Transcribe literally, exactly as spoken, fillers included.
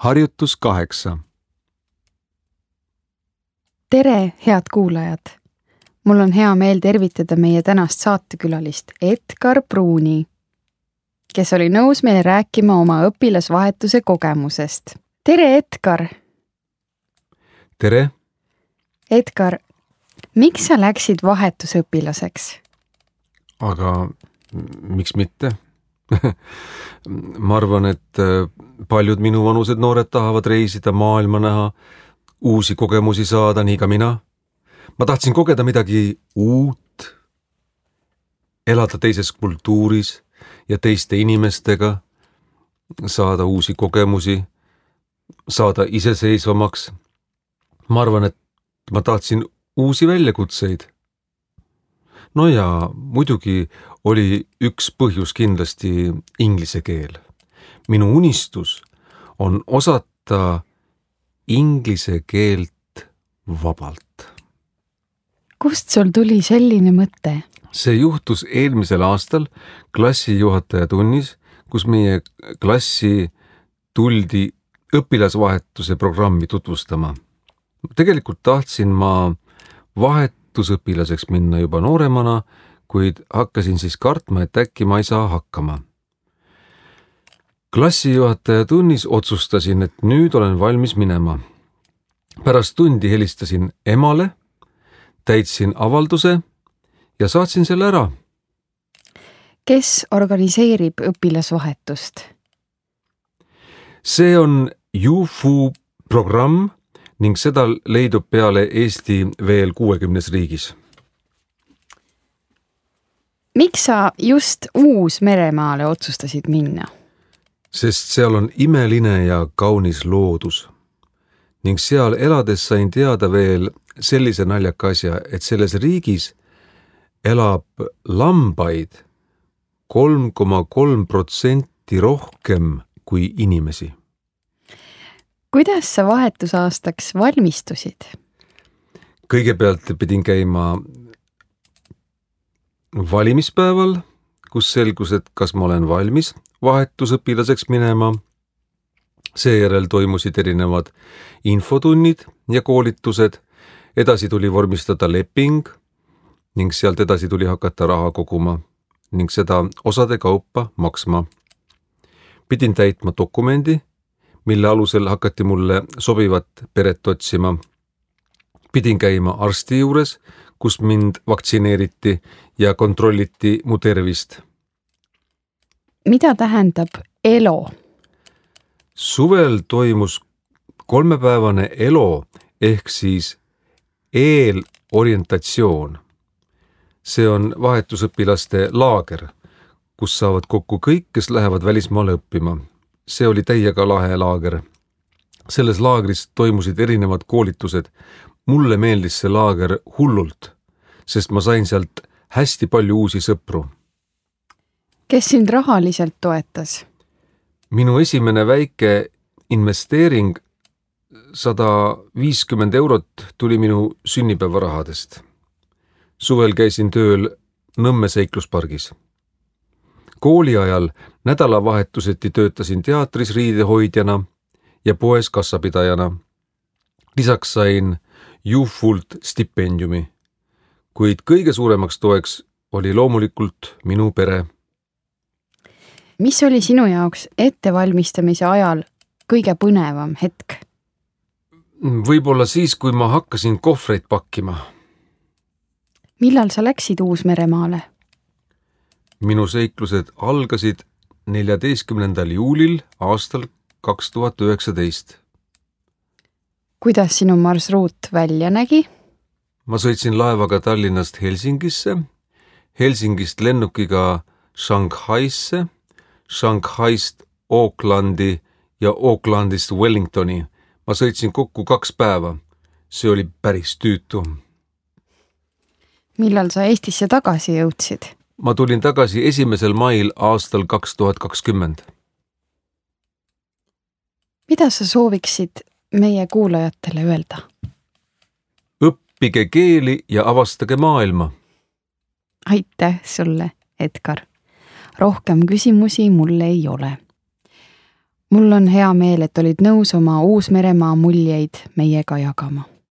Harjutus kaheksa. Tere, head kuulajad! Mul on hea meel tervitada meie tänast saatekülalist Edgar Pruuni, kes oli nõus meile rääkima oma õpilasvahetuse kogemusest. Tere, Edgar! Tere! Edgar, miks sa läksid vahetusõpilaseks? Aga miks mitte? Ma arvan, et paljud minu vanused noored tahavad reisida, maailma näha, uusi kogemusi saada, nii ka mina. Ma tahtsin kogeda midagi uut, elada teises kultuuris ja teiste inimestega, saada uusi kogemusi, saada iseseisvamaks. Ma arvan, et ma tahtsin uusi väljakutseid. No ja muidugi oli üks põhjus kindlasti inglise keel. Minu unistus on osata inglise keelt vabalt. Kust sul tuli selline mõte? See juhtus eelmisel aastal klassijuhataja tunnis, kus meie klassi tuldi õpilasvahetuse programmi tutvustama. Tegelikult tahtsin ma vahetusõpilaseks minna juba nooremana, kuid hakkasin siis kartma, et äkki ma ei saa hakkama. Klassijuhataja tunnis otsustasin, et nüüd olen valmis minema. Pärast tundi helistasin emale, täitsin avalduse ja saatsin selle ära. Kes organiseerib õpilasvahetust? See on U F U programm ning seda leidub peale Eesti veel kuuekümnes riigis. Miks sa just Uus-Meremaale otsustasid minna? Sest seal on imeline ja kaunis loodus. Ning seal elades sain teada veel sellise naljaka asja, et selles riigis elab lambaid kolm koma kolm protsenti rohkem kui inimesi. Kuidas sa vahetusaastaks valmistusid? Kõigepealt pidin käima valimispäeval, kus selgus, et kas ma olen valmis vahetusõpilaseks minema. Seejärel toimusid erinevad infotunnid ja koolitused. Edasi tuli vormistada leping ning sealt edasi tuli hakata raha koguma ning seda osade kaupa maksma. Pidin täitma dokumendi, mille alusel hakati mulle sobivat peret otsima. Pidin käima arsti juures, kus mind vaktsineeriti ja kontrolliti mu tervist. Mida tähendab ELO? Suvel toimus kolmepäevane ELO ehk siis eelorientatsioon. See on vahetusõpilaste laager, kus saavad kokku kõik, kes lähevad välismaale õppima. See oli täiega lahe laager. Selles laagris toimusid erinevad koolitused. Mulle meeldis see laager hullult, sest ma sain sealt hästi palju uusi sõpru. Kes sind rahaliselt toetas? Minu esimene väike investeering sada viiskümmend eurot tuli minu sünnipäevarahadest. Suvel käisin tööl Nõmme seikluspargis. Kooli ajal nädalavahetuseti töötasin teatris riidehoidjana ja poes kassapidajana. Lisaks sain U F U-lt stipendiumi, kuid kõige suuremaks toeks oli loomulikult minu pere. Mis oli sinu jaoks ettevalmistamise ajal kõige põnevam hetk? Võib-olla siis, kui ma hakkasin kohvreid pakkima. Millal sa läksid Uus-Meremaale? Minu seiklused algasid neljateistkümnendal juulil aastal kaks tuhat üheksateist. Kuidas sinu marsruut välja nägi? Ma sõitsin laevaga Tallinnast Helsingisse, Helsingist lennukiga Shanghaisse, Shanghaist Aucklandi ja Aucklandist Wellingtoni. Ma sõitsin kokku kaks päeva. See oli päris tüütu. Millal sa Eestisse tagasi jõudsid? Ma tulin tagasi esimesel mail aastal kaks tuhat kakskümmend. Mida sa sooviksid meie kuulajatele öelda? Õppige keeli ja avastage maailma. Aitäh sulle, Edgar. Rohkem küsimusi mul ei ole. mul on hea meel, et olid nõus oma Uus-Meremaa muljeid meiega jagama.